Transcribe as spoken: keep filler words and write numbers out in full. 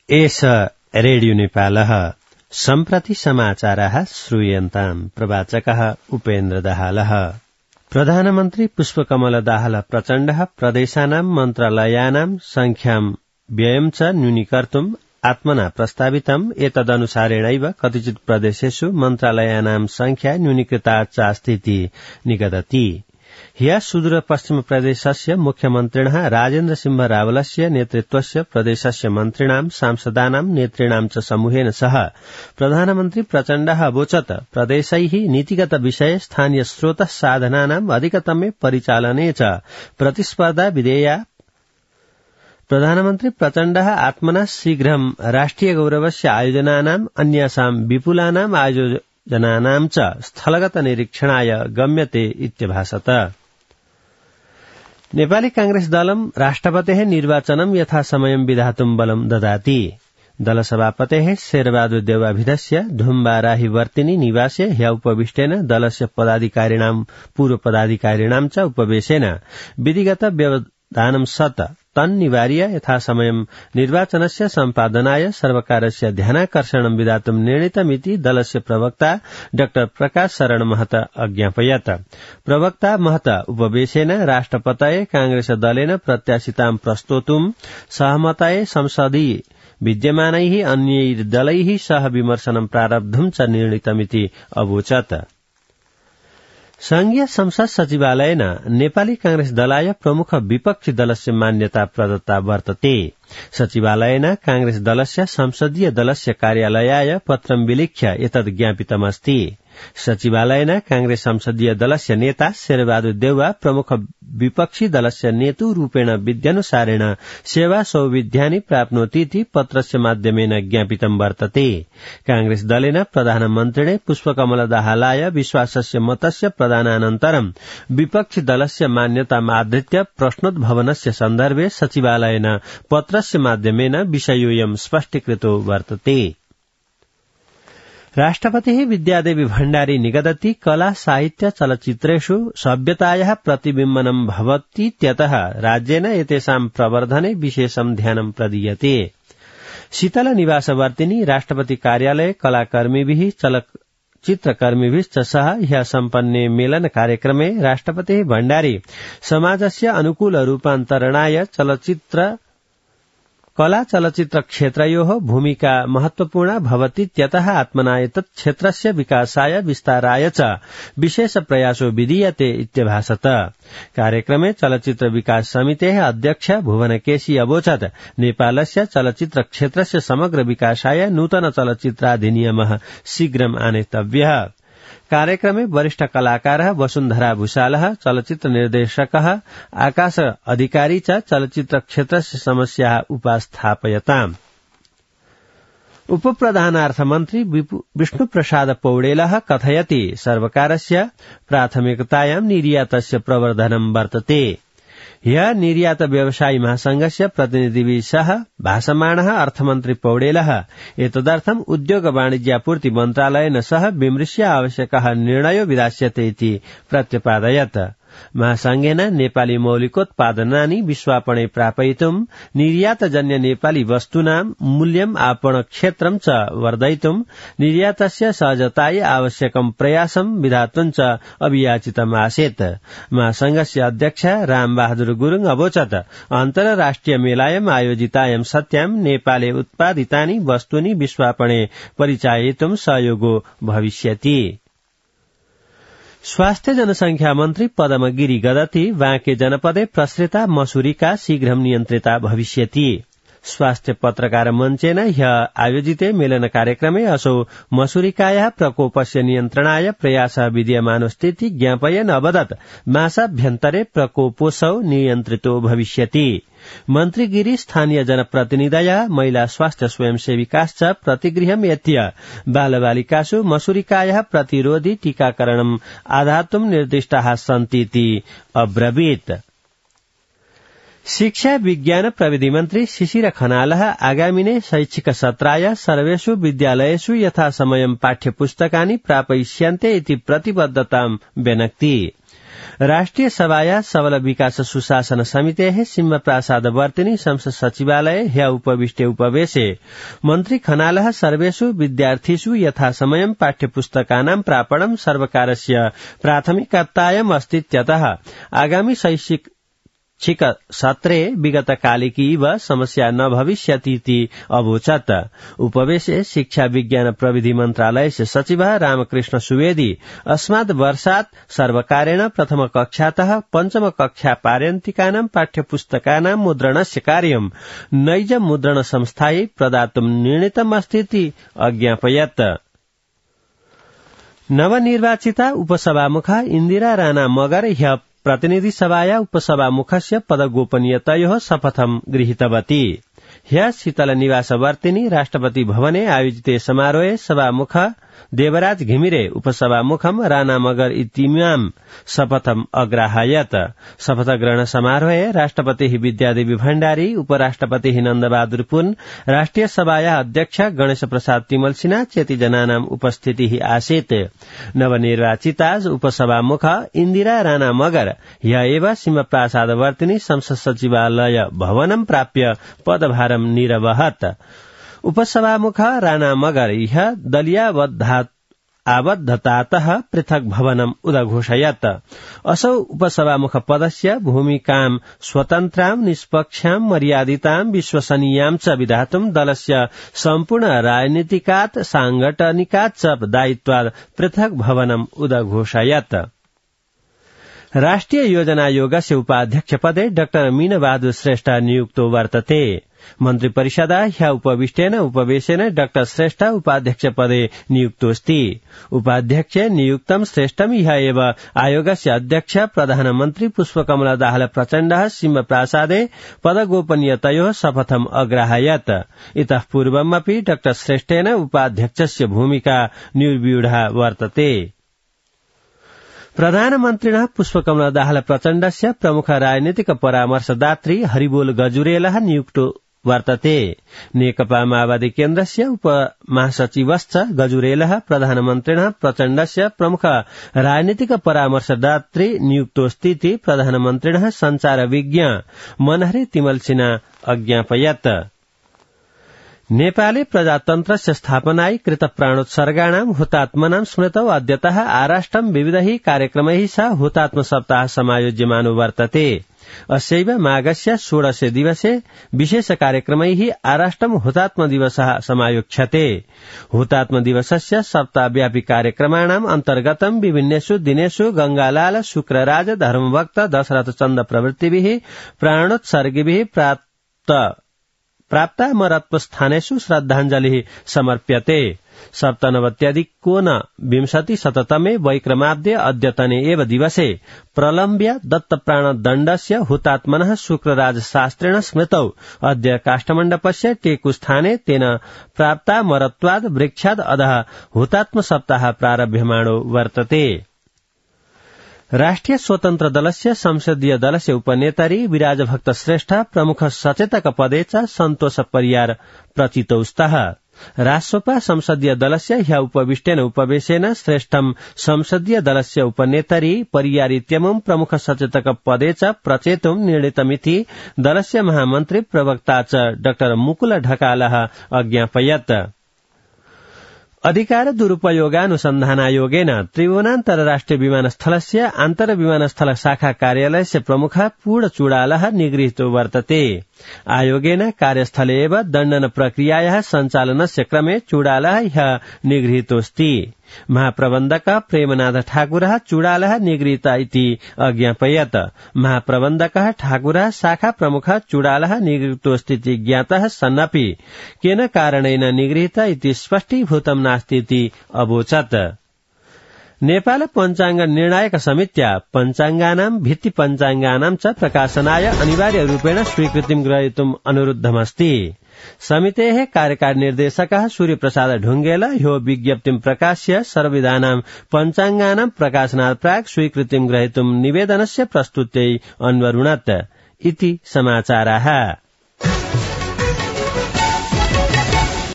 एष रेडियो नेपालः सम्प्रति समाचारः श्रूयन्ताम् प्रवाचकः उपेन्द्र दाहालः। प्रधानमन्त्री पुष्पकमल दाहाल प्रचण्डः प्रदेशानां मन्त्रालयानां संख्यां व्ययं च न्यूनीकर्तुम् आत्मना प्रस्तावितम् एतदनुसारेणैव कतिचित् प्रदेशेषु मन्त्रालयानां संख्या न्यूनीकृता चास्तीति निगदति। ह्यः सुदूरपश्चिम प्रदेशस्य मुख्यमन्त्रिणः राजेन्द्र सिंह रावलस्य नेतृत्वस्य प्रदेशस्य मन्त्रिणां सांसदानां नेतृणां च समूहेन सह प्रधानमन्त्री प्रचण्डः अवोचत् प्रदेशैः नीतिगत विषये स्थानीय स्रोतः साधनानाम् अधिकतमे परिचालने च प्रतिस्पर्धा विधेया। प्रधानमन्त्री प्रचण्डः आत्मना शीघ्रं राष्ट्रिय गौरवस्य आयोजनानाम् अन्यासां विपुलानाम् आयोजनानां च स्थलगत निरीक्षणाय गम्यते इत्यभाषत। नेपाली कांग्रेस दलं राष्ट्रपतेः निर्वाचनं यथासमयं विधातुं बलं ददाति। दलसभापतेः शेरबहादुर देउवाभिधस्य धुम्बाराही वर्तिनी निवासे ह्य उपविष्टेन दलस्य पदाधिकारिणां पूर्व पदाधिकारिणां च उपवेशेन विधिगत व्यवधानं सत् तन्निवार्य यथासमयं निर्वाचनस्य सम्पादनाय सर्वकारस्य ध्यानाकर्षणं विधातुं निर्णीतमिति दलस्य प्रवक्ता डाक्टर प्रकाश शरण महत अज्ञापयत्। प्रवक्ता महत उपवेशेन राष्ट्रपतये कांग्रेस दलेन प्रत्याशितां प्रस्तोतुं सहमतये संसदीय विद्यमानैः अन्यैः दलैः सह विमर्शनं प्रारब्धुं च निर्णीतमिति अवोचत्। संघीय संसद सचिवालयेन नेपाली कांग्रेस दलाय प्रमुख विपक्षी दलस्य मान्यता प्रदत्ता वर्तते। सचिवालयेन कांग्रेस दलस्य संसदीय दलस्य कार्यालयाय पत्रं विलिख्य एतद् ज्ञापितमस्ति। सचिवालयेन कांग्रेस संसदीय दलस्य नेता शेरबहादुर देउवा प्रमुख विपक्षी दलस्य नेतु रूपेण विद्यानुसारेण सेवा सौविध्यानि प्राप्नोतीति पत्रस्य माध्यमेन ज्ञापितं वर्तते। कांग्रेस दलेन प्रधानमन्त्रिणे पुष्पकमल दाहालाय विश्वासस्य मतस्य प्रदानानन्तरं विपक्षी दलस्य मान्यतामाधृत्य प्रश्नोद्भवनस्य सन्दर्भे सचिवालयेन पत्रस्य माध्यमेन विषयोऽयं स्पष्टीकृतो वर्तते। राष्ट्रपतिः विद्यादेवी भण्डारी निगदति कला साहित्य चलचित्रेषु सभ्यतायाः प्रतिबिम्बनं भवतीत्यतः राज्येन एतेषां प्रवर्धने विशेषं ध्यानं प्रदीयते। शीतल निवासवर्तिनी राष्ट्रपति कार्यालये कलाकर्मिभिः चलचित्रकर्मिभिश्च सह ह्यः सम्पन्ने मेलन कार्यक्रमे राष्ट्रपतिः भण्डारी समाजस्य अनुकूल रूपान्तरणाय चलचित्र कला चलचित्र क्षेत्रयोः भूमिका महत्वपूर्णा भवतीत्यतः आत्मना एतत् क्षेत्रस्य विकासाय विस्ताराय च विशेष प्रयासो विधीयते इत्यभाषत। कार्यक्रमे चलचित्र विकास समितेः अध्यक्ष भुवनकेशी अवोचत् नेपालस्य चलचित्र क्षेत्रस्य समग्र विकासाय नूतन चलचित्राधिनियमः शीघ्रम् आनेतव्यः। कार्यक्रमे वरिष्ठ कलाकारः वसुन्धरा भूषालः, चलचित्र निर्देशकः आकाश अधिकारी च चलचित्र क्षेत्रस्य समस्याः उपस्थापयताम्। उपप्रधानार्थमन्त्री विष्णुप्रसाद पौडेलः कथयति सर्वकारस्य प्राथमिकतायां निर्यातस्य प्रवर्धनं वर्तते। ह्यः निर्यात व्यवसायी महासंघस्य प्रतिनिधिभिः सह भाषमाणः अर्थमन्त्री पौडेलः एतदर्थम् उद्योग वाणिज्यापूर्ति मन्त्रालयेन सह विमृश्य आवश्यकः निर्णयो विधास्यते इति प्रत्यपादयत्। महासंघेन नेपाली मौलिकोत्पादनानि विश्वापणे प्रापयितुम् निर्यातजन्य नेपाली वस्तूनां मूल्यम् आपण क्षेत्रं च वर्धयितुम् निर्यातस्य सहजतायै आवश्यकं प्रयासं विधातुं च अभियाचितम् आसीत्। महासंघस्य अध्यक्ष रामबहादुर गुरुङ अवोचत् अन्तर्राष्ट्रिय मेलायाम् आयोजितायां सत्यां नेपाले उत्पादितानि वस्तूनि विश्वापणे परिचाययितुं सहयोगो भविष्यति। स्वास्थ्य जनसंख्या मन्त्री पदम गिरी गदति बाँके जनपदे प्रसृता मसूरिका शीघ्रं नियन्त्रिता भविष्यति। स्वास्थ्य पत्रकार मञ्चेन ह्यः आयोजिते मेलन कार्यक्रमे असौ मसूरिकायाः प्रकोपस्य नियन्त्रणाय प्रयासः विद्यमानोऽस्तीति ज्ञापयन् अवदत् मासाभ्यन्तरे प्रकोपोऽसौ नियन्त्रितो भविष्यति। मन्त्री गिरी स्थानीय जनप्रतिनिधयः महिला स्वास्थ्य स्वयंसेविकाश्च प्रतिगृहं यत्य बालबालिकासु मसूरिकायाः प्रतिरोधि टीकाकरणम् आधातुं निर्दिष्टाः सन्तीति अब्रवीत्। शिक्षा विज्ञान प्रविधि मन्त्री शिशिर खनालः आगामिने शैक्षिक सत्राय सर्वेषु विद्यालयेषु यथासमयं पाठ्यपुस्तकानि प्रापयिष्यन्ते इति प्रतिबद्धतां व्यनक्ति। राष्ट्रिय सभाया सबल विकास सुशासन समितेः सिंह प्रासाद वर्तिनी संसद सचिवालय ह्य उपविष्टे उपवेशे मन्त्री खनालः सर्वेषु विद्यार्थिषु यथासमयं पाठ्यपुस्तकानां प्रापणं सर्वकारस्य प्राथमिकतायाम् अस्तीत्यतः आगामि शैक्षिक छिक सत्रे विगत कालिकी इव समस्या न भविष्यतीति अवोचत्। उपवेशे शिक्षा विज्ञान प्रविधि मन्त्रालयस्य सचिवः रामकृष्ण सुवेदी अस्मात् वर्षात् सर्वकारेण प्रथम कक्षातः पञ्चम कक्षा पार्यन्तिकानां पाठ्यपुस्तकानां मुद्रणस्य कार्यं नैज मुद्रण संस्थायै प्रदातुं निर्णीतमस्तीति अज्ञापयत्। नवनिर्वाचिता उपसभामुखा इन्दिरा राणा मगर ह्य प्रतिनिधि सभाया उपसभामुखस्य पदगोपनीयतयोः शपथं गृहीतवती। ह्य शीतल निवासवर्तिनी राष्ट्रपति भवने आयोजिते समारोहे सभामुख देवराज घिमिरे उपसभामुखम राणा मगर इतिमाम शपथम अग्राहयत। शपथ ग्रहण समारोहे राष्ट्रपतिः विद्यादेवी भण्डारी उपराष्ट्रपतिः नन्दबहादुर पुन राष्ट्रिय सभाया अध्यक्ष गणेश प्रसाद तिमल सिन्हा चेति जनानाम् उपस्थितिः आसीत्। नवनिर्वाचिता उपसभामुख इन्दिरा राणा मगर ह्य एव सिंहप्रासादवर्तिनी संसद सचिवालय भवनं प्राप्य पदभारं निरवहत्। उपसभामुख राणा मगर ह्य दलीयावद्धा आबद्धतातः पृथक भवनम् उदघोषयत्। असौ उपसभामुख पदस्य भूमिकां स्वतन्त्रां निष्पक्षां मर्यादितां विश्वसनीयां च विधातुं दलस्य सम्पूर्ण राजनीतिकात् सांगठनिकात् च दायित्वात् पृथक भवनम् उदघोषयत्। राष्ट्रिय योजना आयोगस्य उपाध्यक्ष पदे डाक्टर मीनबहादुर श्रेष्ठ नियुक्तो वर्तते। मन्त्री परिषदा ह्य उपविष्टेन उपवेशेन डाक्टर श्रेष्ठ उपाध्यक्ष पदे नियुक्तोऽस्ति। उपाध्यक्ष नियुक्तं श्रेष्ठं ह्य एव आयोगस्य अध्यक्ष प्रधानमन्त्री पुष्पकमल दाहाल प्रचण्डः सिंह प्रासादे पदगोपनीयतयोः शपथम् अग्राहयत्। इतः पूर्वमपि डाक्टर श्रेष्ठेन उपाध्यक्षस्य भूमिका निर्व्यूढा वर्तते। प्रधानमन्त्रिणः पुष्पकमल दाहाल प्रचण्डस्य प्रमुख राजनीतिक परामर्शदात्री हरिबोल गजुरेलः नियुक्तो वर्तते। नेकपा माओवादी केन्द्रस्य उपमहासचिवश्च गजुरेलः प्रधानमन्त्रिणः प्रचण्डस्य प्रमुख राजनीतिक परामर्शदात्री नियुक्तोऽस्तीति प्रधानमन्त्रिणः सञ्चारविज्ञ मनहरे तिमल सिन्हा अज्ञापयत्। नेपाले प्रजातन्त्रस्य स्थापनायै कृत प्राणोत्सर्गाणां हुतात्मनां स्मृतौ अद्यतः आराष्ट्रं विविधैः कार्यक्रमैः सह हुतात्म सप्ताह समायोज्यमानो वर्तते। अस्यैव माघस्य षोडशे दिवसे विशेष कार्यक्रमैः आराष्ट्रं हुतात्म दिवसः समायोक्ष्यते। हुतात्म दिवसस्य सप्ताहव्यापी कार्यक्रमाणाम् अन्तर्गतं विभिन्नेषु दिनेषु गंगालाल शुक्रराज धर्मभक्त दशरथ चन्द प्रभृतिभिः प्राणोत्सर्गिभिः प्राप्त प्राप्तामरत्वस्थानेषु श्रद्धाञ्जलिः समर्प्यते। सप्तनवत्यधिकोन विंशति शततमे वैक्रमाब्दे अद्यतने एव दिवसे प्रलम्ब्य दत्तप्राणदण्डस्य हुतात्मनः शुक्रराज शास्त्रेण स्मृतौ अद्य काष्ठमण्डपस्य टेकुस्थाने तेन प्राप्तामरत्वाद् वृक्षाद् अधः हुतात्म सप्ताह प्रारभ्यमाणो वर्तते। राष्ट्रिय स्वतन्त्र दलस्य संसदीय दलस्य उपनेतारी विराजभक्त श्रेष्ठ प्रमुख सचेतक पदे च सन्तोष परियार प्रचितौ स्तः। राष्ट्रपा संसदीय दलस्य ह्य उपविष्टेन उपवेशेन श्रेष्ठं संसदीय दलस्य उपनेतारी परियारित्यमुं प्रमुख सचेतक पदे च प्रचेतुं निर्णीतमिति दलस्य महामन्त्री प्रवक्ता च डाक्टर मुकुल ढकालः अज्ञापयत्। अधिकार दुरुपयोगानुसन्धानायोगेन त्रिभुवनान्तरराष्ट्रिय विमानस्थलस्य आन्तर्विमानस्थल शाखा कार्यालयस्य प्रमुखः पूर्ण चूडालः निगृहीतो वर्तते। आयोगेन कार्यस्थले एव दण्डन प्रक्रियायाः सञ्चालनस्य क्रमे चूडालः ह्य निगृहीतोऽस्ति। महाप्रबन्धक प्रेमनाथ ठाकुरः चूडालः निगृहीत इति अज्ञापयत्। महाप्रबन्धकः ठाकुरः शाखा प्रमुखः चूडालः निगृहीतोऽस्तीति ज्ञातः सन्नपि केन कारणेन निगृहीत इति स्पष्टीभूतं नास्तीति अवोचत्। नेपाल पञ्चाङ्ग निर्णायक समित्या पञ्चाङ्गानां भित्ति पञ्चाङ्गानां च प्रकाशनाय अनिवार्य रूपेण स्वीकृतिं ग्रहीतुम् अनुरुद्धमस्ति। समितेः कार्यकारी निर्देशकः सूर्यप्रसाद ढुङ्गेल ह्यो विज्ञप्तिं प्रकाश्य सर्वविधानां पञ्चाङ्गानां प्रकाशनात् प्राक् स्वीकृतिं ग्रहीतुम् निवेदनस्य प्रस्तुत्यै अन्वरुणत् इति समाचाराः।